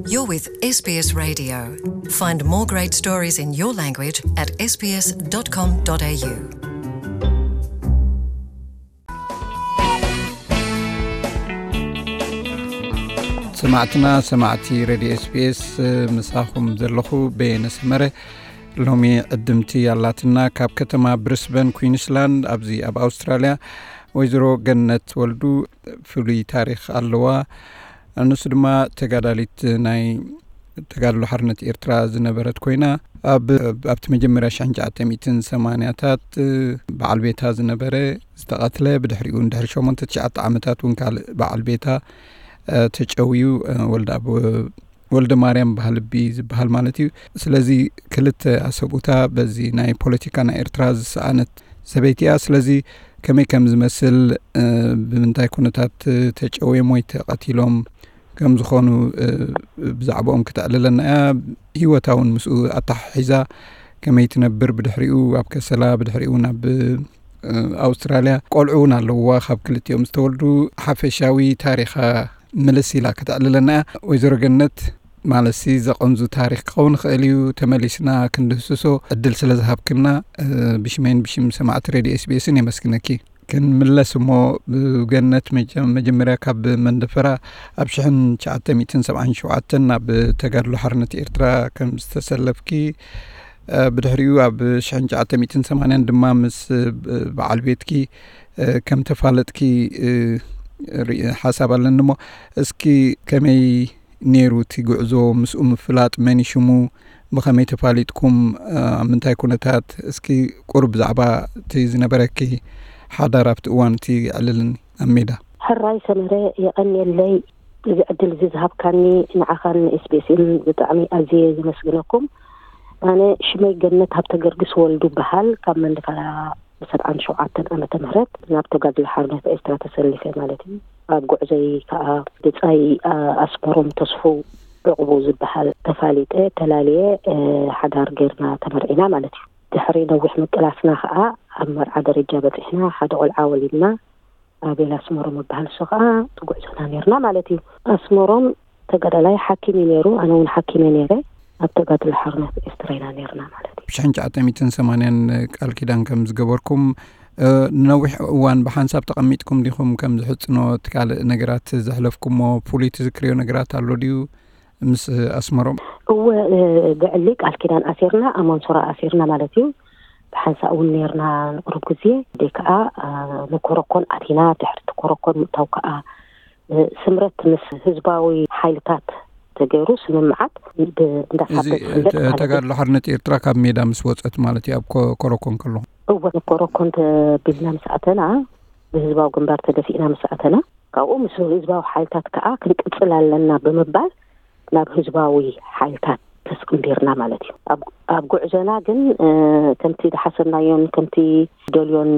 You're with S B S Radio. Find more great stories in your language at S B S dot com dot A U. ሰማዕትና፣ ሰማዕቲ ሬድዮ S B S፣ ምሳኹም ዘለኹ በየነ ሰመረ። ሎሚ ዕድምቲ ኣላትና ካብ ከተማ ብሪስበን፣ ኩዊንስላንድ፣ ኣብዚ ኣብ ኣውስትራልያ፣ ወይዘሮ ገነት ወልዱ ፍሉይ ታሪኽ ኣለዋ። ንሱ ድማ ተጋዳሊት ናይ ተጋድሎ ሓርነት ኤርትራ ዝነበረት ኮይና፣ ኣብ ኣብቲ መጀመርያ ሽሕን ትሽዓተ ሚእትን ሰማንያታት በዓል ቤታ ዝነበረ ዝተቐትለ፣ ብድሕሪኡ ድሕሪ ሸሞንተ ትሽዓተ ዓመታት እውን ካልእ በዓል ቤታ ተጨውዩ፣ ወልደ ኣብ ወልደ ማርያም በሃልቢ ዝበሃል ማለት እዩ። ስለዚ ክልተ ኣሰብኡታ በዚ ናይ ፖለቲካ ናይ ኤርትራ ዝሰኣነት ሰበይቲ እያ። ስለዚ ከመይ ከም ዝመስል፣ ብምንታይ ኩነታት ተጨውዮም ወይ ተቐቲሎም ከም ዝኾኑ ብዛዕባኦም ክተዕልለና እያ። ህይወታ እውን ምስኡ ኣተሓሒዛ ከመይ ትነብር፣ ብድሕሪኡ ኣብ ከሰላ፣ ብድሕሪኡ ናብ ኣውስትራልያ፣ ቆልዑ እውን ኣለውዋ፣ ካብ ክልቲኦም ዝተወልዱ። ሓፈሻዊ ታሪኻ ምልስ ኢላ ከተዕልለና እያ። ወይዘሮ ገነት፣ ማለትሲ ዘቐንዙ ታሪኽ ክኸውን ይኽእል እዩ፣ ተመሊስና ክንድህስሶ ዕድል ስለ ዝሃብክና፣ ብሽመይን ብሽም ሰማዕቲ ሬድዮ S B S ን የመስግነኪ። ክንምለስ እሞ፣ ብገነት መጀ-፣ መጀመርያ ካብ መንደፈራ ኣብ ሽሕን ትሽዓተ ሚእትን ሰብዓን ሸውዓተን ናብ ተጋድሎ ሓርነት ኤርትራ ከም ዝተሰለፍኪ፣ ብድሕሪኡ ኣብ ሽሕን ትሽዓተ ሚእትን ሰማንያን ድማ ምስ በዓል ቤትኪ ከም ተፋለጥኪ ርኢ-፣ ሓሳብ ኣለኒ እሞ፣ እስኪ ከመይ ነይሩ እቲ ጉዕዞ? ምስኡ ምፍላጥ፣ መን እዩ ሽሙ? ብኸመይ ተፋሊጥኩም? ኣብ ምንታይ ኩነታት? እስኪ ቁሩብ ብዛዕባ እቲ ዝነበረኪ ሓዳር ኣብቲ እዋን እቲ ኣዕልልኒ ኣብ ሜዳ። ሕራይ ሰመረ፣ የቐንየለይ እዚ ዕድል እዚ ዝሃብካኒ። ንዓኻን S B S ን ብጣዕሚ ኣዝየ ዘመስግነኩም። ኣነ ሽመይ ገነት ሃብተ ገርግስ ወልዱ በሃል፣ ካብ መንደፈራ ብሰብዓን ሸውዓተን ዓመተ ምህረት ናብ ተጋድሎ ሓርነት ኤርትራ ተሰሊፈ ማለት እዩ። ኣብ ጉዕዞይ ከዓ ብጻይ፣ ኣ-፣ ኣስመሮም ተስፉ ዕቑቡ ዝበሃል ተፋሊጠ፣ ተላልየ፣ እ፣ ሓዳር ጌርና ተመርዒና ማለት እዩ። ድሕሪ ነዊሕ ምቅላስና ከዓ ኣብ መርዓ ደረጃ በጺሕና፣ ሓደ ቆልዓ ወሊድና። ኣቤል ኣስመሮም ዝበሃል ንሱ ከዓ እቲ ጉዕዞና ኔርና ማለት እዩ። ኣስመሮም ተጋዳላይ ሓኪም እዩ ነይሩ፣ ኣነ እውን ሓኪም እየ ነይረ። ኣብ ተጋድሎ ሓርነት ኤርትራ ኢና ነይርና ማለት እዩ። ሽሕን ትሽዓተ ሚእትን ሰማንያን ቃል ኪዳን ከም ዝገበርኩም፣ እ፣ ንነዊሕ እዋን ብሓንሳብ ተቐሚጥኩም ዲኹም? ከም ዝሕጽኖ፣ እቲ ካልእ ነገራት ዘሕለፍኩሞ ፍሉይ ትዝክርዮ ነገራት ኣሎ ድዩ ምስ ኣስመሮም? እወ፣ እ፣ ብዕሊ ቃል ኪዳን ኣሲርና፣ ኣብ መንሶራ ኣሲርና ማለት እዩ። ብሓንሳእ እውን ነይርና ንቁሩብ ግዜ። ደይ ከዓ፣ እ፣ ንኮረኮን ኣቲና፣ ድሕሪ እቲ ኮረኮን ምእታው ከዓ ስምረት ምስ ህዝባዊ ሓይልታት ተገይሩ ስምምዓት ብ-፣ እዚ እንዳሳበ ዝፍለጥ ተ-፣ ማለት እዩ። ተጋድሎ ሓርነት ኤርትራ ካብ ሜዳ ምስ ወጸት ማለት እዩ፣ ኣብ ኮ-፣ ኮረኮን ከለኹም? እወ፣ ኮረኮን ተቢልና ምስ ኣተና፣ ብህዝባዊ ግንባር ተደፊእና ምስ ኣተና፣ ካብኡ ምስ ህዝባዊ ሓይልታት ከዓ ክንቅጽል ኣለና ብምባል ናብ ህዝባዊ ሓይልታት ተስቅንቢርና ማለት እዩ። ኣብ፣ ኣብ ጉዕዞና ግን፣ እ፣ ከምቲ ዝሓሰብናዮን ከምቲ ደልዮን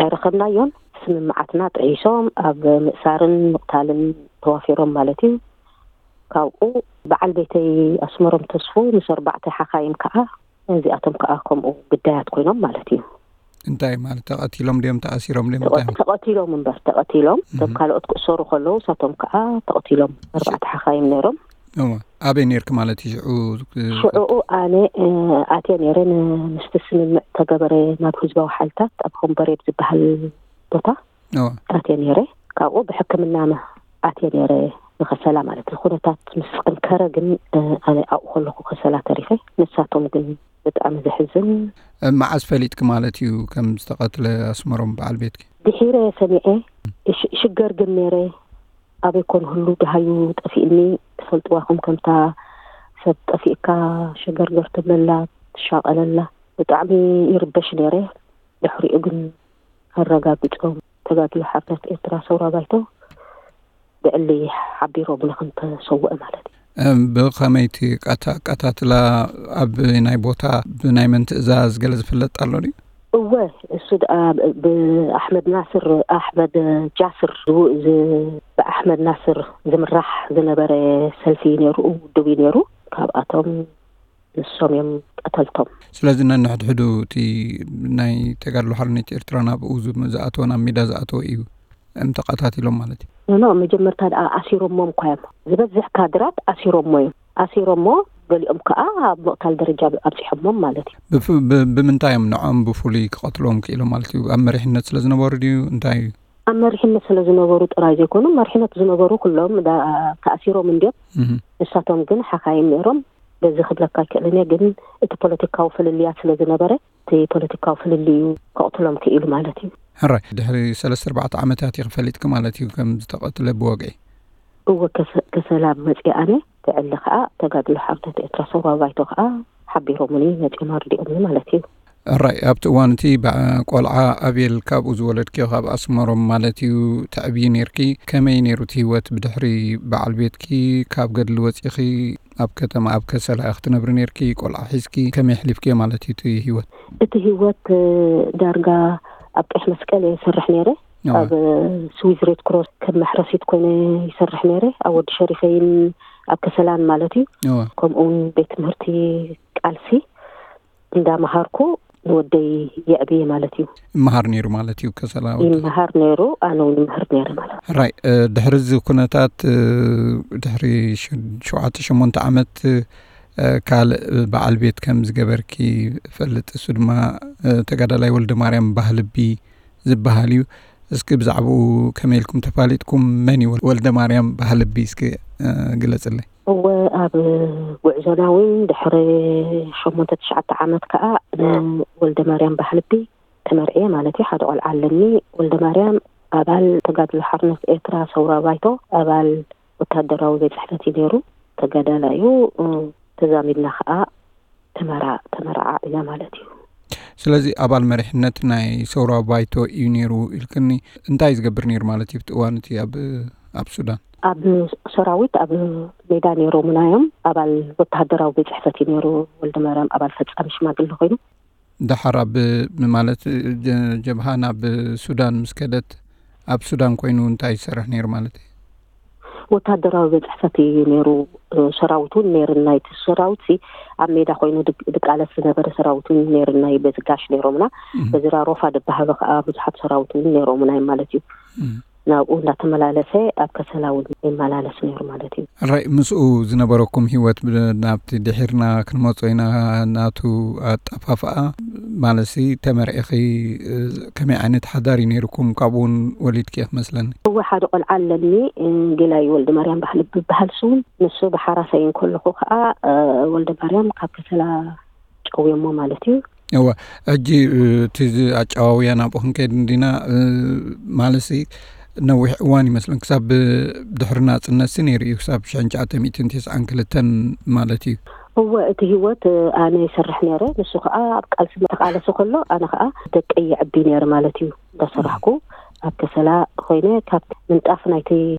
ኣይረኸብናዮን። ስምምዓትና ጥሒሶም ኣብ ምእሳርን ምቕታልን ተዋፊሮም ማለት እዩ። ካብኡ በዓል ቤተይ ኣስመሮም ተስፉ ምስ ኣርባዕተ ሓኻይም ከዓ፣ እዚኣቶም ከዓ ከምኡ ግዳያት ኮይኖም ማለት እዩ። እንታይ ማለት፣ ተቐቲሎም ድዮም ተኣሲሮም ድዮም? እንታይ ተቐ-፣ ማለት? ተቐቲሎም እምበር፣ ተቐቲሎም። እቶም እህ። ካልኦት ክእሰሩ ከለዉ፣ እሳቶም ከዓ ተቐቲሎም። እሺ። ኣርባዕተ ሓኻይም ነይሮም። እወ። ኣበይ ነይርክ ማለት እዩ ሽዑ? ሽዑኡ ኣነ፣ እ፣ ኣትየ ነይረ፣ ን-፣ ምስቲ ስምምዕ ተገበረ ናብ ህዝባዊ ሓይልታት ኣብ ሆምበሬብ ዝበሃል ቦታ እወ። ኣትየ ነይረ። ካብኡ ብሕክምና መ-፣ ኣትየ ነይረ ንኸሰላ ማለት እዩ። ኩነታት ምስ ጠንከረ ግን፣ እ፣ ኣነ ኣብኡ ከለኹ ከሰላ ተሪፈ። ንሳቶም ግን ብጣዕሚ ዘሕዝን። እ፣ መዓስ ፈሊጥክ ማለት እዩ ከም ዝተቐትለ ኣስመሮም በዓል ቤትኪ? ድሒረ ሰሚዐ። እሽ-፣ ሽገር ግን ነይረ። ኣበይ ኮን ህሉ ደሃዩ ጠፊእኒ። ትፈልጥዋ ኹም ከምታ ሰብ ጠፊእካ ሸገርገር ትብለላ፣ ትሻቐለላ። ብጣዕሚ ይርበሽ ነይረ። ድሕሪኡ ግን ኣረጋጊጾም ተጋድሎ ሓርነት ኤርትራ ሰውራ ባይቶ ብዕሊ ሓቢሮም ንኽንተሰውአ ማለት እዩ። እም፣ ብኸመይ እቲ ቀታ-፣ ቀታትላ ኣብ ናይ ቦታ ብናይ መን ትእዛዝ ገለ ዝፍለጥ ኣሎ ድዩ? እወ፣ እሱ ደኣ ብ-፣ ብኣሕመድ ናስር፣ ኣሕመድ ጃስር ዝው-፣ ዝ-፣ ብኣሕመድ ናስር ዝምራሕ ዝነበረ ሰልፊ እዩ ነይሩ፣ ውድብ እዩ ነይሩ። ካብኣቶም ንሶም እዮም ቀተልቶም። ስለዚ ነንሕድሕዱ እቲ ናይ ተጋድሎ ሓርነት ኤርትራ ናብኡ ዝ-፣ ዝኣተወ፣ ናብ ሜዳ ዝኣተወ እዩ፣ እም፣ ተቐታቲሎም ማለት እዩ። ኖ፣ መጀመርታ ደኣ ኣሲሮሞም እኳ እዮም። ዝበዝሕ ካድራት ኣሲሮሞ እዮም። ኣሲሮሞ፣ ገሊኦም ከኣ ኣብ ምቕታል ደረጃ ኣብጺሖሞም ማለት እዩ። ብፍ-፣ ብ-፣ ብምንታይ እዮም ንዖም ብፍሉይ ክቐትልዎም ክኢሎም ማለት እዩ? ኣብ መሪሕነት ስለ ዝነበሩ ድዩ? እንታይ እዩ? ኣብ መሪሕነት ስለ ዝነበሩ ጥራይ ዘይኮኑ፣ መሪሕነት ዝነበሩ ኩሎም ዳ-፣ ተኣሲሮም እንድዮም። እህ። ንሳቶም ግን ሓኻይም ነይሮም። በዚ ክብለካ ኣይክእልን እየ፣ ግን እቲ ፖለቲካዊ ፍልልያት ስለ ዝነበረ፣ እቲ ፖለቲካዊ ፍልልዩ ከቕትሎም ክኢሉ ማለት እዩ። ሕራይ፣ ድሕሪ ሰለስተ ኣርባዕተ ዓመታት ኢኺ ፈሊጥኪ ማለት እዩ ከም ዝተቐትለ ብወግዒ? እወ፣ ከሰ-፣ ከሰላ መጺኣ ኣነ፣ ትዕሊ ከኣ ተጋድሎ ሓርነት ኤርትራ ሰውራ ባይቶ ከኣ ሓቢሮምኒ መጺኦም ኣርዲኦምኒ ማለት እዩ። ሕራይ፣ ኣብቲ እዋን እቲ በ-፣ ቆልዓ ኣቤል ካብኡ ዝወለድክዮ ካብ ኣስመሮም ማለት እዩ ተዕብዪ ነይርኪ። ከመይ ነይሩ እቲ ህይወት ብድሕሪ በዓል ቤትኪ ካብ ገድሊ ወጺኺ ኣብ ከተማ ኣብ ከሰላ ኢኺ ትነብሪ ነይርኪ፣ ቆልዓ ሒዝኪ ከመይ ኣሕሊፍክዮ ማለት እዩ እቲ ህይወት? እቲ ህይወት፣ እ፣ ዳርጋ ኣብ ቀይሕ መስቀል እየ ዝሰርሕ ነይረ። እወ። ኣብ ስዊዝ ሬድ ክሮስ ከም መሕረሲት ኮይነ ይሰርሕ ነይረ። ኣብ ወዲ ሸሪፈይን ኣብ ከሰላን ማለት እዩ። እወ። ከምኡ እውን ቤት ትምህርቲ ቃልሲ እንዳመሃርኩ ንወደይ የዕብየ ማለት እዩ። ይመሃር ነይሩ ማለት እዩ፣ ከሰላ ወዲ? ይመሃር ነይሩ፣ ኣነ እውን ይመሃር ነይረ ማለት እዩ። ሕራይ፣ እ፣ ድሕሪ እዚ ኩነታት፣ እ፣ ድሕሪ ሸ-፣ ሸውዓተ ሸሞንተ ዓመት፣ እ፣ ካልእ በዓል ቤት ከም ዝገበርኪ እፈልጥ። እሱ ድማ፣ እ፣ ተጋዳላይ ወልደ ማርያም ባህልቢ ዝበሃል እዩ። እስኪ ብዛዕባኡ ከመይ ኢልኩም ተፋሊጥኩም? መን እዩ ወልደ ማርያም ባህልቢ? እስኪ፣ እ፣ ግለጽለይ። እወ፣ ኣብ ጉዕዞና እውን ድሕሪ ሸሞንተ ትሽዓተ ዓመት ከኣ ንወልደ ማርያም ባህልቢ ተመርዕየ ማለት እዩ። ሓደ ቆልዓ ኣለኒ። ወልደ ማርያም ኣባል ተጋድሎ ሓርነት ኤርትራ ሰውራ ባይቶ፣ ኣባል ወታደራዊ ቤት ጽሕፈት እዩ ነይሩ። ተጋዳላይ እዩ። እ፣ ተዛሚድና ከኣ ተመራ-፣ ተመራዓዒና ማለት እዩ። ስለዚ ኣባል መሪሕነት ናይ ሰውራ ባይቶ እዩ ነይሩ ኢልክኒ። እንታይ ዝገብር ነይሩ ማለት እዩ ኣብቲ እዋን እቲ ኣብ፣ ኣብ ሱዳን? ኣብ ሰራዊት ኣብ ሜዳ ነይሮምና እዮም። ኣባል ወተሃደራዊ ቤት ጽሕፈት እዩ ነይሩ ወልደ ማርያም፣ ኣባል ፈጻሚ ሽማግለ ኮይኑ። ደሓር ኣብ፣ ማለት ጀ-፣ ጀብሃ ናብ ሱዳን ምስ ከደት ኣብ ሱዳን ኮይኑ እንታይ ይሰርሕ ነይሩ ማለት እዩ? ወታደራዊ ቤት ጽሕፈት እዩ ነይሩ። እ፣ ሰራዊት እውን ነይርና። እቲ ሰራዊት ሲ ኣብ ሜዳ ኮይኑ ድግ-፣ ድቃለስ ዝነበረ ሰራዊት እውን ነይርና እዩ። በዚ ጋሽ ነይሮምና። እም። በዚ ራሮፋ ድበሃሉ ከኣ ብዙሓት ሰራዊት እውን ነይሮምና እዮም ማለት እዩ። እም። ናብኡ እንዳተመላለሰ ኣብ ከሰላ እውን ይመላለስ ነይሩ ማለት እዩ። ሕራይ፣ ምስኡ ዝነበረኩም ህይወት ብ-፣ ናብቲ ድሒርና ክንመጾ ኢና፣ ናቱ ኣጠፋፍኣ ማለትሲ ተመርዒኺ፣ እ፣ ከመይ ዓይነት ሓዳር እዩ ነይርኩም? ካብኡ እውን ወሊድኪ ኢኺ መስለኒ። እወ፣ ሓደ ቆልዓ ኣለኒ፣ እ፣ ጌላይ ወልደ ማርያም ባህሊ ብበሃል ስውን። ንሱ ብሓራሳይ እንከለኹ ከኣ፣ እ፣ ወልደ ማርያም ካብ ከሰላ ጨውዮሞ ማለት እዩ። እወ፣ ሕጂ፣ እ፣ እቲ ዝ-፣ ኣጨዋውያ ናብኡ ክንከይድ እንዲና፣ እ፣ ማለትሲ ነዊሕ እዋን ይመስለን ክሳብ ድሕሪ ናጽነትሲ ነይሩ እዩ፣ ክሳብ ሽሕን ትሽዓተ ሚእትን ተስዓን ክልተን ማለት እዩ። እወ፣ እቲ ህይወት፣ እ፣ ኣነ ይሰርሕ ነይረ፣ ንሱ ከኣ ኣብ ቃልሲ ተቃለሰ ከሎ፣ ኣነ ከኣ ደቀይ የዕቢ ነይረ ማለት እዩ። እንዳሰራሕኩ ኣብ ከሰላ ኮይነ ካብ ምንጣፍ ናይቲ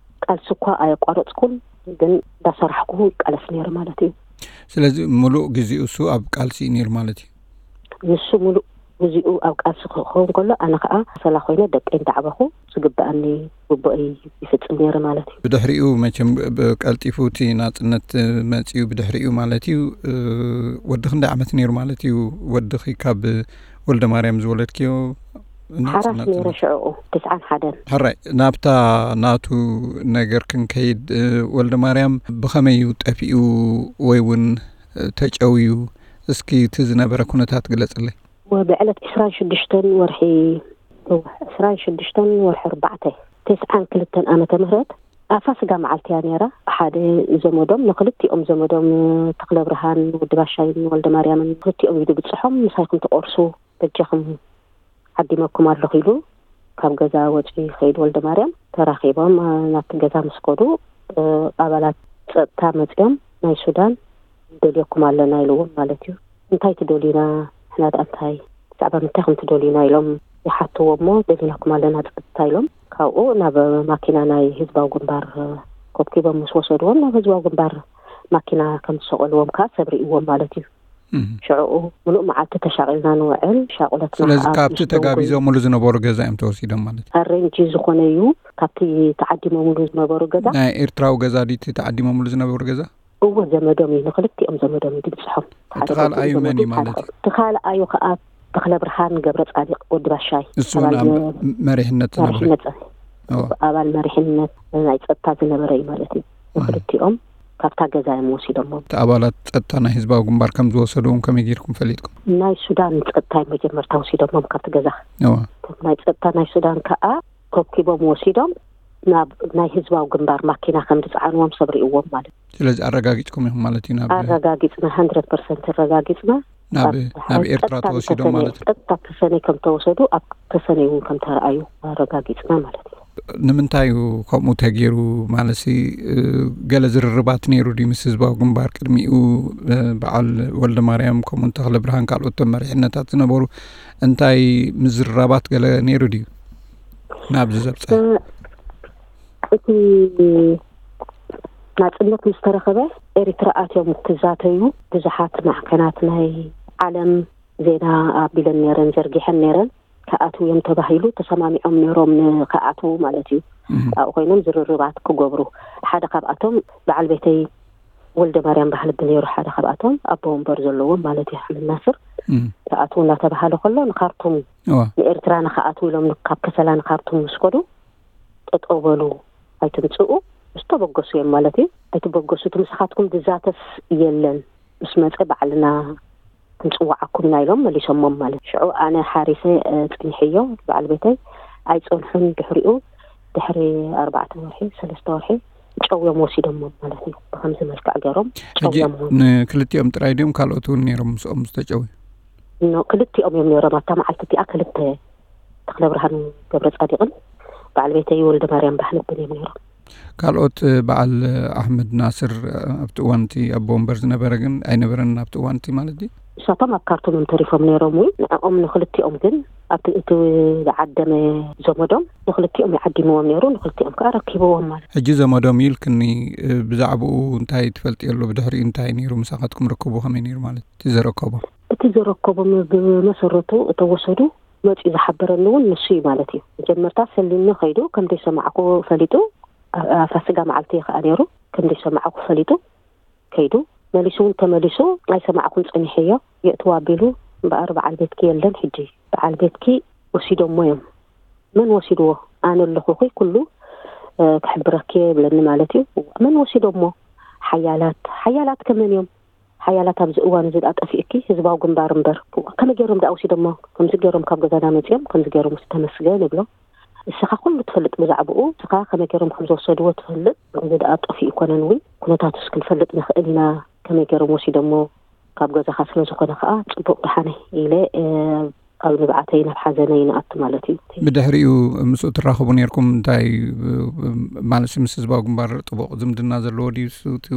ቃልሲ እኳ ኣየቋረጽኩን፣ ግን እንዳሰራሕኩ ይቃለስ ነይረ ማለት እዩ። ስለዚ ምሉእ ግዜኡ እሱ ኣብ ቃልሲ እዩ ነይሩ ማለት እዩ? ንሱ ምሉእ ግዜኡ ኣብ ቃልሲ ክኸውን ከሎ፣ ኣነ ከኣ ከሰላ ኮይነ ደቀይ እንዳዕበኹ ዝግበኣኒ ግቡኣይ ይፍጽም ነይረ ማለት እዩ። ብድሕሪኡ መቸም ብ-፣ ቀልጢፉ እቲ ናጽነት መጺኡ ብድሕሪኡ ማለት እዩ፣ እ፣ ወዲ ክንደይ ዓመት ነይሩ ማለት እዩ? ወድኺ ካብ ወልደ ማርያም ዝወለድክዮ ሓራስ ናጽነት? ነይረ ሽዕኡ፣ ትስዓን ሓደን። ሕራይ፣ ናብታ ናቱ ነገር ክንከይድ፣ እ፣ ወልደ ማርያም ብኸመይ እዩ ጠፊኡ ወይ እውን፣ እ፣ ተጨውዩ? እስኪ እቲ ዝነበረ ኩነታት ግለጽለይ። ወ-፣ ብዕለት ዕስራን ሽዱሽተን ወርሒ፣ እወ፣ ዕስራን ሽዱሽተን ወርሒ ኣርባዕተ፣ ተስዓን ክልተን ዓመተ ምህረት፣ ኣብ ፋሲጋ መዓልቲ እያ ነይራ። ሓደ ዘመዶም፣ ንክልቲኦም ዘመዶም፣ ተኽለ ብርሃን ወዲ ባሻይን ወልደ ማርያምን፣ ክልቲኦም ኢዱ ብጽሖም፣ "ምሳይ ክንትቆርሱ በጃኹም ዓዲመኩም ኣለኹ" ኢሉ ካብ ገዛ ወጺኡ ይኸይድ ወልደ ማርያም። ተራኺቦም፣ እ፣ ናብቲ ገዛ ምስ ከዱ፣ እ፣ ኣባላት ጸጥታ መጺኦም፣ "ናይ ሱዳን ንደልየኩም ኣለና" ኢልዎም ማለት እዩ። "እንታይ ትደልዩና? ንሕና ደኣ እንታይ? ብዛዕባ ምንታይ ከም ትደልዩና?" ኢሎም ይሓትዎ እሞ፣ "ደሊናኩም ኣለና ጸጥታ" ኢሎም፣ ካብኡ ናብ ማኪና ናይ ህዝባዊ ግንባር፣ እ፣ ኮብኪቦም ምስ ወሰድዎም፣ ናብ ህዝባዊ ግንባር ማኪና ከም ዝሰቐልዎም ከኣ ሰብ ርእይዎም ማለት እዩ። እም። ሽዕኡ ምሉእ መዓልቲ ተሻቒልና ንውዕል፣ ሻቑለትና ስለዚ ከኣ ካብቲ ኣብ ሽደንጎ ተጋቢዞምሉ ዝነበሩ ገዛ እዮም ተወሲዶም ማለት እዩ? ኣሬንጂ ዝኾነ እዩ፣ ካብቲ ተዓዲሞምሉ ዝነበሩ ገዛ። ናይ ኤርትራዊ ገዛ ድዩ እቲ ተዓዲሞምሉ ዝነበሩ ገዛ? እወ፣ ዘመዶም እዩ፣ ንክልቲኦም ዘመዶም እዩ ድብጽሖም። እቲ ሓደ ካልኣዩ ገብሩ መን እዩ ዘመዱ፣ ማለት ሓደ እዩ? እቲ ካልኣዩ ከኣ ተኽለ ብርሃን ገብረ ጻዲቕ ወዲ ባሻይ፣ እሱ እውን ኣባል ኣብ መ-፣ መሪሕነት ዝነበረ? መሪሕነት ጸ-፣ እወ። ኣባል መሪሕነት። ናይ ጸጥታ ዝነበረ እዩ ማለት እዩ። ንክልቲኦም ካብታ ገዛ እዮም ወሲዶሞም። እቲ ኣባላት ጸጥታ ናይ ህዝባዊ ግንባር ከም ዝወሰድዎም ከመይ ጌርኩም ፈሊጥኩም? ናይ ሱዳን ጸጥታ እዮም መጀመርታ ወሲዶሞም ካብቲ ገዛ። እዋ። እቶም ናይ ጸጥታ ናይ ሱዳን ከዓ ኮብኪቦም ወሲዶም ናብ ናይ ህዝባዊ ግንባር ማኪና ከም ዝጸዓንዎም ሰብ ርእይዎም ማለት እዩ። ስለዚ ኣረጋጊጽኩም ኢኹም ማለት እዩ? ናብ ኣረጋጊጽና፣ ሀንድረድ ፐርሰንት ኣረጋጊጽና። ናብ ኣብ ናብ ኤርትራ ቀጥታ ተወሲዶም ንተሰነይ ማለት እዩ? ቀጥታ ተሰነይ ከም ተወሰዱ፣ ኣብ ተሰነይ እውን ከም ተረኣዩ ኣረጋጊጽና ማለት እዩ። ንምንታይ እዩ ከምኡ ተገይሩ? ማለትሲ፣ እ፣ ገለ ዝርርባት ነይሩ ድዩ ምስ ህዝባዊ ግንባር ቅድሚኡ? እ፣ በዓል ወልደ ማርያም ከምኡ ተኽለ ብርሃን ካልኦት መሪሕነታት ዝነበሩ እንታይ ምዝርራባት ገለ ነይሩ ድዩ ናብዚ ዘብፀ? እ፣ እቲ ናጽነት ምስ ተረኸበ ኤሪትራ ኣትዮም ክዛተዩ ብዙሓት ማዕከናት ናይ ዓለም ዜና ኣቢለን ነይረን፣ ዘርጊሐን ነይረን። ክኣትዉ እዮም ተባሂሉ ተሰማሚዖም ነይሮም ንክኣትዉ ማለት እዩ። እህ። ኣብኡ ኮይኖም ዝርርባት ክገብሩ። ሓደ ካብኣቶም በዓል ቤተይ ወልደ ማርያም ባህልቢ ነይሩ፣ ሓደ ካብኣቶም ኣቦ ወንበር ዘለዎም ማለት እዩ፣ ኣሕመድ ናስር። እህ። ክኣትዉ እናተባሃለ ከሎ ንካርቱም፣ እዋ። ንኤርትራ ንክኣትዉ ኢሎም ን-፣ ካብ ከሰላ ንካርቱም ምስ ከዱ፣ ጠጠው በሉ፣ ኣይትምፅኡ፣ ዝተበገሱ እዮም ማለት እዩ። ኣይትበገሱ፣ እቲ ምሳኻትኩም ዝዛተስ የለን፣ ምስ መፀ ባዕልና ክንፅዋዓኩም ኢና ኢሎም መሊሶሞም ማለት እዩ። ሽዑ ኣነ ሓሪሰ፣ እ፣ ፅንሕዮ፣ በዓል ቤተይ ኣይፀንሑን። ድሕሪኡ፣ ድሕሪ ኣርባዕተ ወርሒ፣ ሰለስተ ወርሒ ጨውዮም ወሲዶሞም ማለት እዩ። ብኸምዚ መልክዕ ገይሮም ሕጂ ጨውዮም። ንክልቲኦም ጥራይ ድዮም ካልኦት እውን ነይሮም ምስኦም ዝተጨውዩ? ኖ፣ ክልቲኦም እዮም ነይሮም። ኣብታ መዓልቲ እቲኣ ክልተ፣ ተኽለ ብርሃን ገብረ ጻዲቕን በዓል ቤተይ ወልደ ማርያም ባህልብን እዮም ነይሮም። ካልኦት፣ እ፣ በዓል ኣሕመድ ናስር፣ እ፣ ኣብቲ እዋን እቲ ኣቦ ወንበር ዝነበረ ግን ኣይነበረን ኣብቲ እዋን እቲ ማለት ድዩ? ንሳቶም ኣብ ካርቱም እዮም ተሪፎም ነይሮም። እውን ንዕኦም ንክልቲኦም ግን ኣብቲ እቲ ዝዓደመ ዘመዶም ንክልቲኦም ይዓዲምዎም ነይሩ፣ ንክልቲኦም ከዓ ረኪብዎም ማለት። ሕጂ ዘመዶም ኢልክኒ፣ እ፣ ብዛዕባኡ እንታይ ትፈልጥዮ ኣሎ? ብድሕሪኡ እንታይ ነይሩ? ምሳኻትኩም ርክቡ ከመይ ነይሩ ማለት እቲ ዘረከቦም? እቲ ዘረከቦም ብመሰረቱ እተወሰዱ መፂኡ ዝሓበረኒ እውን ንሱ እዩ ማለት እዩ። መጀመርታ ሰሊኒ ከይዱ ከም ዘይሰማዕኩ ፈሊጡ፣ ኣ-፣ ፋሲጋ መዓልቲ እዩ ከዓ ነይሩ፣ ከም ዘይሰማዕኩ ፈሊጡ ከይዱ፣ መሊሱ እውን ተመሊሱ ኣይሰማዕኩን ፀኒሐዮ፣ የእትዋ ኣቢሉ፣ እምበኣር በዓል ቤትኪ የለን ሕጂ፣ በዓል ቤትኪ ወሲዶሞ እዮም። መን ወሲድዎ? ኣነ ኣለኹኺ፣ ኩሉ፣ እ፣ ክሕብረኪ እየ ይብለኒ ማለት እዩ። መን ወሲዶሞ? ሓያላት። ሓያላት ከመን እዮም? ሓያላት ኣብዚ እዋን እዚ ደኣ ጠፊእኪ ህዝባዊ ግንባር እምበር። ከመይ ገይሮም ደኣ ወሲዶሞ? ከምዚ ገይሮም ካብ ገዛና መጺኦም፣ ከምዚ ገይሮም ውስ ተመስገን ይብሎ። እስኻ ኩሉ ትፈልጥ ብዛዕባኡ፣ እስኻ ከመይ ገይሮም ከም ዝወሰድዎ ትፈልጥ። እዚ ደኣ ጠፊኡ ኮነን እውን ኩነታቱስ ክንፈልጥ ንኽእል ኢና፣ ከመይ ገይሮም ወሲዶሞ ካብ ገዛኻ ስለ ዝኾነ ከኣ ጽቡቕ ደሓነ ኢለ፣ እ፣ ኣብ ንብዓተይ ናብ ሓዘነይ ንኣቱ ማለት እዩ። ብድሕሪኡ ምስኡ ትራኸቡ ነይርኩም? እንታይ፣ እ፣ ማለት ምስ ህዝባዊ ግንባር ጥቡቕ ዝምድና ዘለዎ ድዩ? እሱ እቲ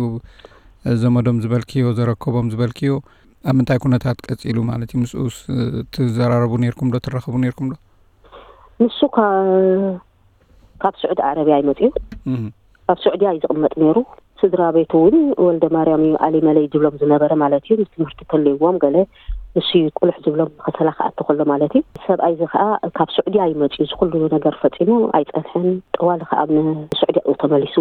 ዘመዶም ዝበልክዮ፣ ዘረከቦም ዝበልክዮ፣ ኣብ ምንታይ ኩነታት ቀጺሉ ማለት እዩ? ምስኡስ፣ እ፣ ትዘራረቡ ነይርኩም ዶ? ትራኸቡ ነይርኩም ዶ? ንሱ ካ-፣ ካብ ስዑዲ ዓረብያ እዩ መጺኡ። እህ። ኣብ ስዑድያ እዩ ዝቕመጥ ነይሩ። ስድራ ቤቱ እውን ወልደ ማርያም እዩ፣ ኣሊ መለይ ዝብሎም ዝነበረ ማለት እዩ። ንትምህርቲ ተልይዎም ገለ ንሱ እዩ ቁልሕ ዝብሎም፣ ከሰላ ክኣቱ ከሎ ማለት እዩ። ሰብኣይ እዚ ከዓ ካብ ስዑድያ እዩ መጺኡ። እዚ ኩሉ ነገር ፈጺሙ ኣይጸንሐን። ጠዋሊ ከዓ ኣብ ንስዑድያ እዩ ተመሊሱ።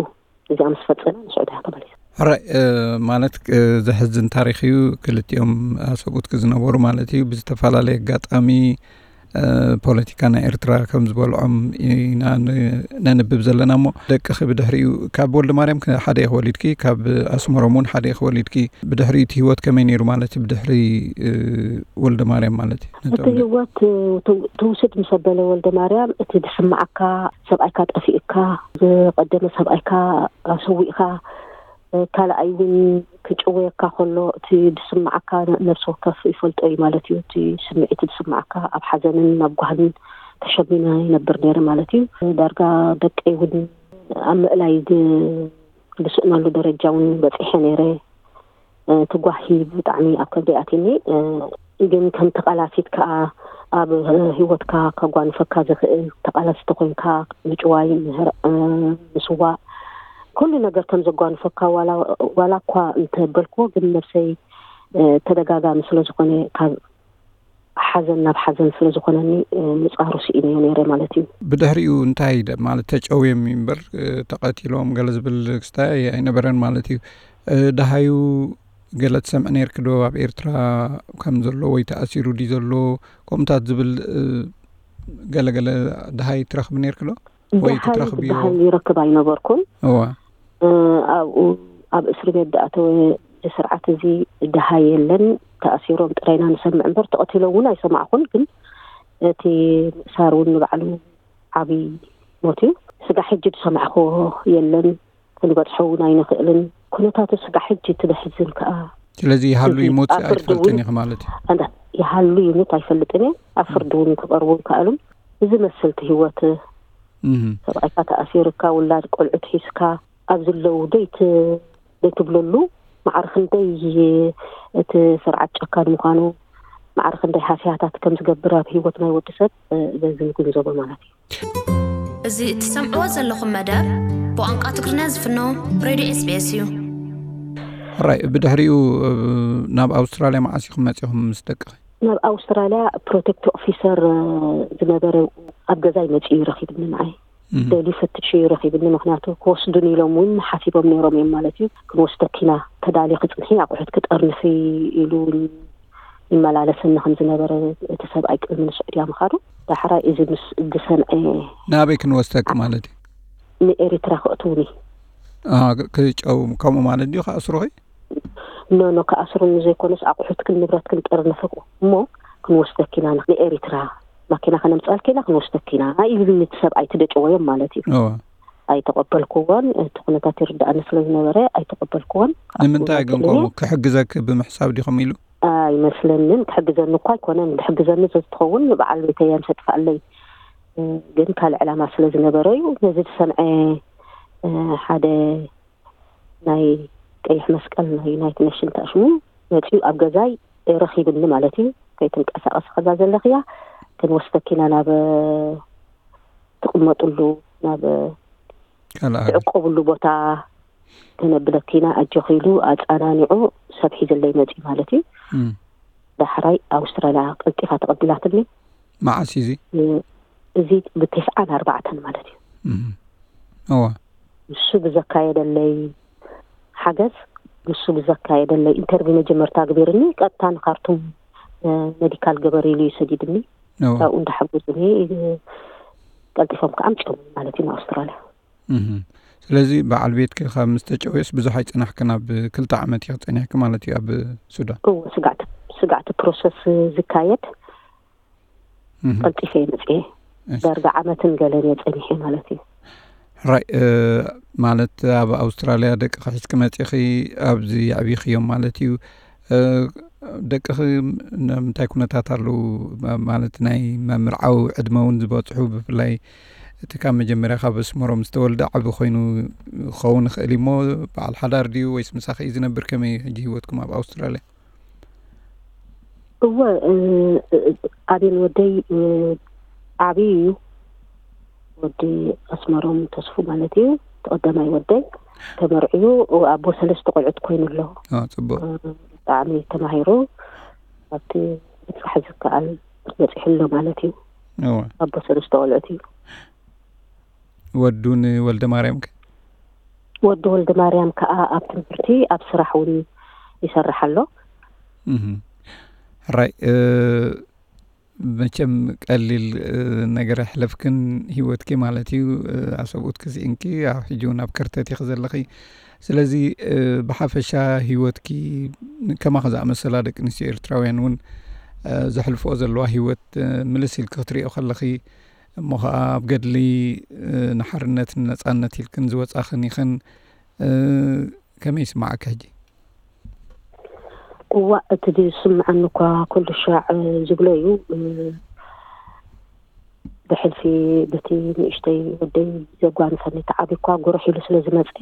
እዚኣ ምስ ፈጸመ ንስዑድያ ተመሊሱ። ሕራይ፣ እ፣ ማለት፣ እ፣ ዘሕዝን ታሪኽ እዩ። ክልቲኦም ኣሰብኡትኪ ዝነበሩ ማለት እዩ። ብዝተፈላለየ ኣጋጣሚ፣ እ፣ ፖለቲካ ናይ ኤርትራ ከም ዝበልዖም ኢና ን-፣ ነንብብ ዘለና። እሞ ደቅኺ ብድሕሪኡ ካብ ወልደ ማርያም ከ-፣ ሓደ ኢኺ ወሊድኪ፣ ካብ ኣስመሮም እውን ሓደ ኢኺ ወሊድኪ። ብድሕሪኡ እቲ ህይወት ከመይ ነይሩ ማለት እዩ? ብድሕሪ፣ እ፣ ወልደ ማርያም ማለት እዩ። ነቶም እቲ ደ- ህይወት፣ እ፣ ትው-፣ ትውስድ ምስ ኣበለ ወልደ ማርያም፣ እቲ ዝስምዓካ፣ ሰብኣይካ ጠፊኡካ፣ ዝቐደመ ሰብኣይካ ኣሰዊእካ፣ እ፣ ካልኣይ እውን ክጭወየካ ከሎ እቲ ዝስምዓካ ነ-፣ ነፍሲ ወከፍ ይፈልጦ እዩ ማለት እዩ። እቲ ስምዒት ዝስምዓካ ኣብ ሓዘንን ኣብ ጓህን ተሸሚመ ይነብር ነይረ ማለት እዩ። ዳርጋ ደቀይ እውን ኣብ ምእላይ ዝ-፣ ዝስእነሉ ደረጃ እውን በፂሐ ነይረ። እ፣ እቲ ጓሂ ብጣዕሚ ኣብ ከብደይ ኣትዩኒ። እ፣ ግን ከምቲ ቃላሲት ከዓ ኣብ ህይወትካ ከጓንፈካ ዝኽእል ተቓላሲ ተኾይንካ ምጭዋይ፣ ምህር-፣ እ፣ ምስዋእ፣ ኩሉ ነገር ከም ዘጓንፈካ ዋላ፣ ዋላ እኳ እንተበልክዎ፣ ግን ነብሰይ፣ እ፣ ተደጋጋሚ ስለ ዝኾነ ካብ ሓዘን ናብ ሓዘን ስለ ዝኾነኒ፣ እ፣ ምጻሩ ስኢነዮ ነይረ ማለት እዩ። ብድሕሪኡ እንታይ ደ-፣ ማለት ተጨውዮም እምበር፣ እ፣ ተቐቲሎም ገለ ዝብል ክስታይ ኣይነበረን ማለት እዩ። እ፣ ደሃዩ ገለ ትሰምዒ ነይርኪ ዶ? ኣብ ኤርትራ ከም ዘሎ ወይ ተኣሲሩ ድዩ ዘሎ? ከምኡታት ዝብል፣ እ፣ ገለ ገለ ደሃይ ትረኽቢ ነይርኪ ዶ? ወይ ክትረኽብዮ? ዝበሃል ይረክብ ኣይነበርኩን። እዋ። ኣብኡ ኣብ እስሪ ቤት ዝኣተወ እዚ ስርዓት እዚ ድሃ የለን። ተኣሲሮም ጥራይና ንሰምዕ እምበር ተቐቲሎም እውን ኣይሰማዕኹን። ግን እቲ ምእሳር እውን ንባዕሉ ዓብዪ ሞት እዩ። ስጋ ሕጂ ዝሰማዕኽዎ የለን። ክንበጽሖ እውን ኣይንኽእልን። ኩነታቱ ስጋ ሕጂ እቲ ዘሕዝን ከኣ ስለዚ ይሃሉ እዚ ይሙት ኣብ ፍርዲ ኣይትፈልጥን እውን ኢኺ ማለት እዩ። ኣንዳ ይሃሉ ይሙት ኣይፈልጥን እየ። ኣብ ፍርዲ እውን ክቐርቡ ይከኣሉን። እዚ መስልቲ ህይወት እህ። ሰብኣይካ ተኣሲርካ፣ ውላድ ቆልዑት ሒዝካ ኣብ ዝለዉ ደይት-፣ ደይትብለሉ ማዕረ ክንደይ እቲ ስርዓት ጨካን ምዃኑ፣ ማዕረ ክንደይ ሃስያታት ከም ዝገብር ኣብ ህይወት ናይ ወዲ ሰብ፣ እ፣ በዚ ንግንዘቦ ማለት እዩ። እዚ እትሰምዕዎ ዘለኹም መደብ ብቋንቋ ትግርኛ ዝፍኖ ሬድዮ ኤስ ቢ ኤስ እዩ። ሕራይ፣ ብድሕሪኡ፣ እ፣ ናብ ኣውስትራልያ መዓስ ኢኹም መጺኹም ምስ ደቅኺ? ናብ ኣውስትራልያ ፕሮቴክት ኦፊሰር፣ እ፣ ዝነበረ ኣብ ገዛይ መጺኡ ይረኺብኒ ንዓይ። እህ። ደልዩ ፈትሹ ይረኺብኒ፣ ምኽንያቱ ክወስዱን ኢሎም እውን ሓሲቦም ነይሮም እዮም ማለት እዩ። ክንወስደኪ ኢና፣ ተዳልዩ ክጽንሒ ኣቑሑት ክጠርንፊ ኢሉ እውን ይመላለሰኒ ከም ዝነበረ እቲ ሰብኣይ ቅድሚ ንስዑድያ ምኻዱ። ዳሕራይ እዚ ምስ ዝሰምዐ ናበይ ክንወስደኪ ማለት እዩ? ንኤሪትራ ከእትውኒ። አ፣ ክ-፣ ክጨው ከምኡ ማለት ድዩ? ክኣስሩኺ? ኖ፣ ኖ፣ ክኣስሩኒ ዘይኮነስ ኣቑሑትክን ንብረትክን ጠርንፍኩ እሞ ክንወስደኪ ኢና ንኤሪትራ፣ ማኪና ከነምጽኣልኪ ኢና፣ ክንወስደኪ ኢና ኢሉኒ እቲ ሰብኣይ፣ እቲ ደጨወዮም ማለት እዩ። እወ። ኣይተቐበልኩዎን፣ እቲ ኩነታት ይርድኣኒ ስለ ዝነበረ ኣይተቐበልኩዎን። ንምንታይ ክኣስሩኒ ግን ከምኡ ክሕግዘኪ ብምሕሳብ ዲኹም ኢሉ? ኣይመስለንን። ክሕግዘኒ እኳ ኣይኮነን። ዝሕግዘኒ ተዝትኸውን ንበዓል ቤተይ እያ ምስ ኣጥፍኣለይ። እ፣ ግን ካልእ ዕላማ ስለ ዝነበረ እዩ። ነዚ ዝሰምዐ፣ እ፣ ሓደ ናይ ቀይሕ መስቀል ናይ ዩናይትድ ኔሽን ተኣሽሙ መጺኡ ኣብ ገዛይ ረኺብኒ ማለት እዩ። ከይትንቀሳቐሲ ከዛ ዘለኽያ ክንወስደኪ ኢና ናብ ትቕመጥሉ፣ ናብ ካልእ ሃገር። ትዕቆብሉ ቦታ ከነብለኪ ኢና ኣጆኺ ኢሉ ኣጸናኒዑ ሰብ ሒዘለይ መጺኡ ማለት እዩ። እም። ዳሕራይ ኣውስትራልያ ቀልጢፋ ተቐቢላትኒ። መዓስ እዩ እዚ? እ፣ እዚ ብተስዓን ኣርባዕተን ማለት እዩ። እም። እዋ። ንሱ ብዘካየደለይ ሓገዝ፣ ንሱ ብዘካየደለይ ኢንተርቪው መጀመርታ ግቢርኒ፣ ቀጥታ ንካርቱም፣ እ፣ ሜዲካል ገበር ኢሉ እዩ ሰዲድኒ። እዋ። ካብኡ እንዳሓገዙኒ፣ እ፣ ቀልጢፎም ከዓ ኣምፅኦም ማለት እዩ ንኣውስትራልያ። እህ። ስለዚ በዓል ቤትኪ ካብ ምስ ተጨውየስ ብዙሕ ኣይጸናሕክን፣ ኣብ ክልተ ዓመት ኢኺ ጸኒሕኪ ማለት እዩ ኣብ ሱዳን? እወ፣ ስጋዕቲ፣ ስጋዕቲ ፕሮሰስ ዝካየድ እህ። ቀልጢፈ እየ መጽኤ። እሺ። ዳርጋ ዓመትን ገለን እየ ጸኒሐ ማለት እዩ። ሕራይ፣ እ፣ ማለት ኣብ ኣውስትራልያ ደቅኺ ሒዝኪ መጺኺ ኣብዚ የዕቢኽዮም ማለት እዩ። እ፣ ደቅኺ ን-፣ ንምንታይ ኩነታት ኣለዉ? ማ-፣ ማለት ናይ ምምርዓው ዕድመ እውን ዝበጽሑ፣ ብፍላይ እቲ ካብ መጀመርያ ካብ ኣስመሮም ዝተወልደ ዓቢ ኮይኑ ክኸውን ይኽእል እዩ እሞ፣ በዓል ሓዳር ድዩ ወይስ ምሳኺ እዩ ዝነብር? ከመይ እዩ ሕጂ ህይወትኩም ኣብ ኣውስትራልያ? እወ፣ እ፣ እ፣ ኣቤል ወደይ፣ እ፣ ዓብዪ እዩ። ወዲ ኣስመሮም ተስፉ ማለት እዩ። እቲ ቀዳማይ ወደይ ተመርዕዩ፣ ኣቦ ሰለስተ ቆልዑት ኮይኑ ኣሎ። አ፣ ጽቡቕ። እ፣ ብጣዕሚ ተማሂሩ ኣብቲ ምብጻሕ ዝከኣል በጺሑ ኣሎ ማለት እዩ። እወ። ኣቦ ሰለስተ ቆልዑት እዩ። ወዱ ንወልደ ማርያም ከ? ወዲ ወልደ ማርያም ከኣ ኣብ ትምህርቲ፣ ኣብ ስራሕ እውን ይሰርሕ ኣሎ። እህ። ሕራይ፣ እ፣ መቸም ቀሊል፣ እ፣ ነገር ኣሕለፍክን ህይወትኪ ማለት እዩ። እ፣ ኣሰብኡትኪ ስኢንኪ፣ ኣብ ሕጂ እውን ኣብ ከርተት ኢኺ ዘለኺ። ስለዚ፣ እ፣ ብሓፈሻ ህይወትኪ ከማኺ ዝኣመሰላ ደቂ ኣንስትዮ ኤርትራውያን እውን፣ እ፣ ዘሕልፍኦ ዘለዋ ህይወት፣ እ፣ ምልስ ኢልኪ ክትሪኦ ከለኺ፣ እሞ ኸዓ ኣብ ገድሊ፣ እ፣ ንሓርነትን ነጻነት ኢልክን ዝወጻኽን ኢኽን፣ እ፣ ከመይ ይስምዓኪ ሕጂ? እዋእ፣ እቲ ዝስምዓኒ እኳ ኩሉ ሻዕ ዝብሎ እዩ። እ፣ ብሕልፊ በቲ ንእሽተይ ወደይ ዘጓንፈኒ፣ እቲ ዓቢ እኳ ጉርሕ ኢሉ ስለ ዝመጸ፣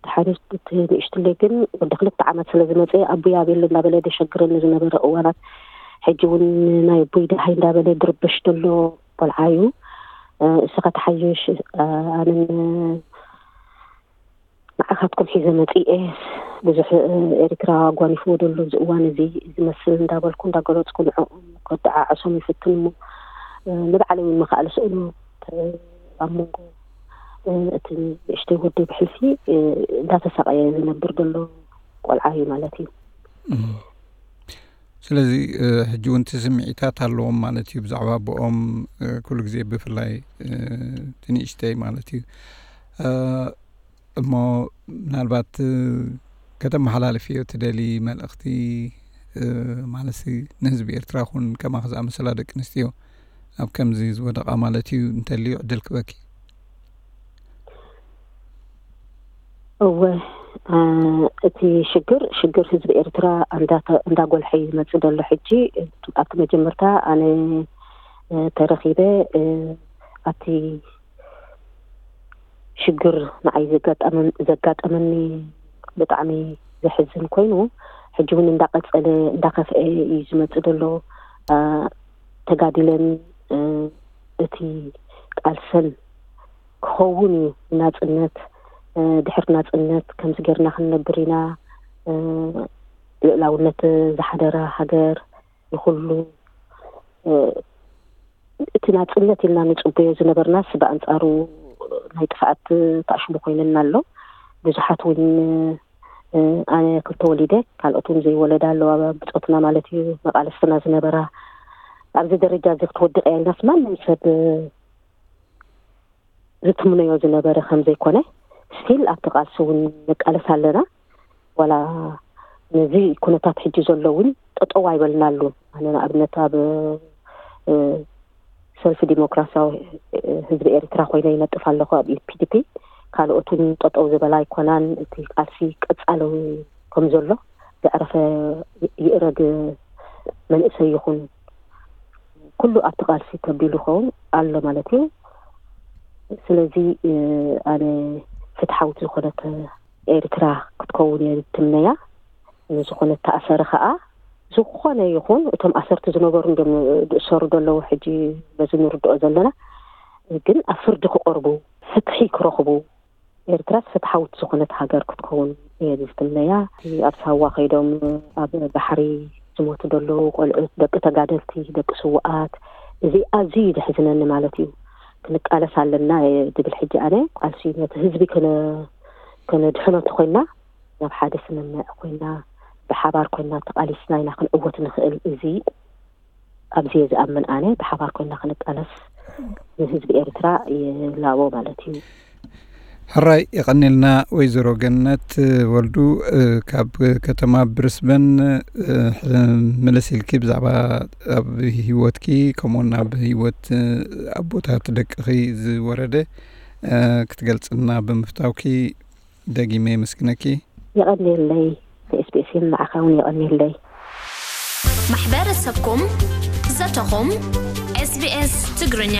ድሓር እቲ ንእሽትለይ ግን ወዲ ክልተ ዓመት ስለ ዝመጸ፣ ኣቦይ ኣቤሎ እንዳበለ ደሸግረኒ ዝነበረ እዋናት፣ ሕጂ እውን ናይ ኣቦይ ደሃይ እንዳበለ ድርብሽ ዘሎ ቆልዓ እዩ። እ፣ እስኻ ተሓይሽ፣ እ፣ ኣነን ንዓኻትኩም ሒዘ መጺኤ፣ ብዙሕ፣ እ፣ ኤርትራ ኣጓኒፍዎ ዘሎ እዚ እዋን እዚ ዝመስል እንዳበልኩ እንዳገለጽኩ ንዕኦም ከደዓዕሶም ይፍትን እሞ፣ እ፣ ንባዕለይ እውን ምኽኣል ስእኑ፣ እ፣ ኣብ መንጎ፣ እ፣ እቲ ንእሽተይ ወደይ ብሕልፊ፣ እ፣ እንዳተሳቐየ ዝነብር ዘሎ ቆልዓ እዩ ማለት እዩ። እም። ስለዚ ሕጂ እውን እቲ ስምዒታት ኣለዎም ማለት እዩ። ብዛዕባ ኣቦኦም ኩሉ ግዜ ብፍላይ እቲ ንእሽተይ ማለት እዩ። እሞ ምናልባት ከተመሓላልፍዮ ትደሊ መልእኽቲ ማለት ንህዝቢ ኤርትራ ኹን ከማኽ ዝኣመሰላ ደቂ ኣንስትዮ ኣብ ከምዚ ዝወደቓ ማለት እዩ እንተልዩ ዕድል ክበኪ። እወ፣ እቲ ሽግር ሽግር ህዝቢ ኤርትራ እንዳጎልሐ ይመጽእ ዘሎ። ሕጂ ኣብቲ መጀመርታ ኣነ ተረኺበ ኣብቲ ሽግር ንዓይ ዘጋጠመኒ ብጣዕሚ ዘሕዝን ኮይኑ፣ ሕጂ እውን እንዳቀጸለ እንዳኸፍአ እዩ ዝመጽእ ዘሎ። ተጋዲለን እቲ ቃልሰን ክኸውን እዩ። ናጽነት፣ ድሕሪ ናጽነት ከምዚ ጌርና ክንነብር ኢና፣ ልእላውነት ዝሓደራ ሃገር፣ ንኹሉ እቲ ናጽነት ኢልና ንጽበዮ ዝነበርናስ ብኣንጻሩ ናይ ጥፍኣት ተኣሽሙ ኮይነና ኣሎ። ብዙሓት እውን ኣነ ክልተ ወሊደ፣ ካልኦት እውን ዘይወለዳ ኣለዋ፣ ብጾትና ማለት እዩ፣ መቃለስትና ዝነበራ። ኣብዚ ደረጃ እዚ ክትወድቕ እያ ኢልናስ ማንም ሰብ ዝትምነዮ ዝነበረ ከም ዘይኮነ፣ ስቲል ኣብቲ ቃልሲ እውን ንቃለስ ኣለና። ዋላ ነዚ ኩነታት ሕጂ ዘሎ እውን ጠጠው ኣይበልናሉን። ኣነ ንኣብነት ኣብ ሰልፊ ዲሞክራሲያዊ ህዝቢ ኤርትራ ኮይነ ይነጥፍ ኣለኹ ኣብ ፒዲፒ። ካልኦት እውን ጠጠው ዝበላ ኣይኮናን። እቲ ቃልሲ ቀጻሊ ከም ዘሎ ዘዕረፈ ይእረግ መንእሰይ ይኹን ኩሉ ኣብቲ ቃልሲ ተቢሉ ይኸውን ኣሎ ማለት እዩ። ስለዚ ኣነ ፍትሓዊት ዝኾነት ኤርትራ ክትከውን እየ ዝትምነያ። ንዝኾነ ተኣሰረ ኸኣ ዝኾነ ይኹን እቶም ኣሰርቲ ዝነበሩ እንድዮም ዝእሰሩ ዘለዉ ሕጂ በዚ ንርድኦ ዘለና፣ ግን ኣብ ፍርዲ ክቐርቡ፣ ፍትሒ ክረኽቡ፣ ኤርትራስ ፍትሓዊት ዝኾነት ሃገር ክትከውን እየ ዝትምነያ። እቲ ኣብ ሳዋ ከይዶም ኣብ ባሕሪ ዝሞቱ ዘለዉ ቆልዑት፣ ደቂ ተጋደልቲ፣ ደቂ ስውኣት፣ እዚ ኣዝዩ እዩ ዘሕዝነኒ ማለት እዩ። ክንቃለስ ኣለና እየ ዝብል ሕጂ ኣነ። ቃልሲ ነቲ ህዝቢ ከነ- ከነድሕኖ እንተኮይና፣ ናብ ሓደ ስምምዕ ኮይና፣ ብሓባር ኮይና ተቃሊስና ኢና ክንዕወት ንኽእል። እዚ ኣብዚ እየ ዝኣምን ኣነ። ብሓባር ኮይና ክንቃለስ ንህዝቢ ኤርትራ ይላቦ ማለት እዩ። ሕራይ የቐኒልና ወይዘሮ ገነት ወልዱ። ካብ ከተማ ብሪስበን ምልስ ኢልኪ ብዛዕባ ኣብ ህይወትኪ ከምኡውን ኣብ ህይወት ኣቦታት ደቅኺ ዝወረደ ክትገልጽልና ብምፍታውኪ ደጊመ የመስግነኪ። የቐኒየለይ። ንኤስቢኤስ ንዓኻ እውን የቐኒየለይ። ማሕበረሰብኩም ዘተኹም። ኤስቢኤስ ትግርኛ።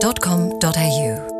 sbs.com.au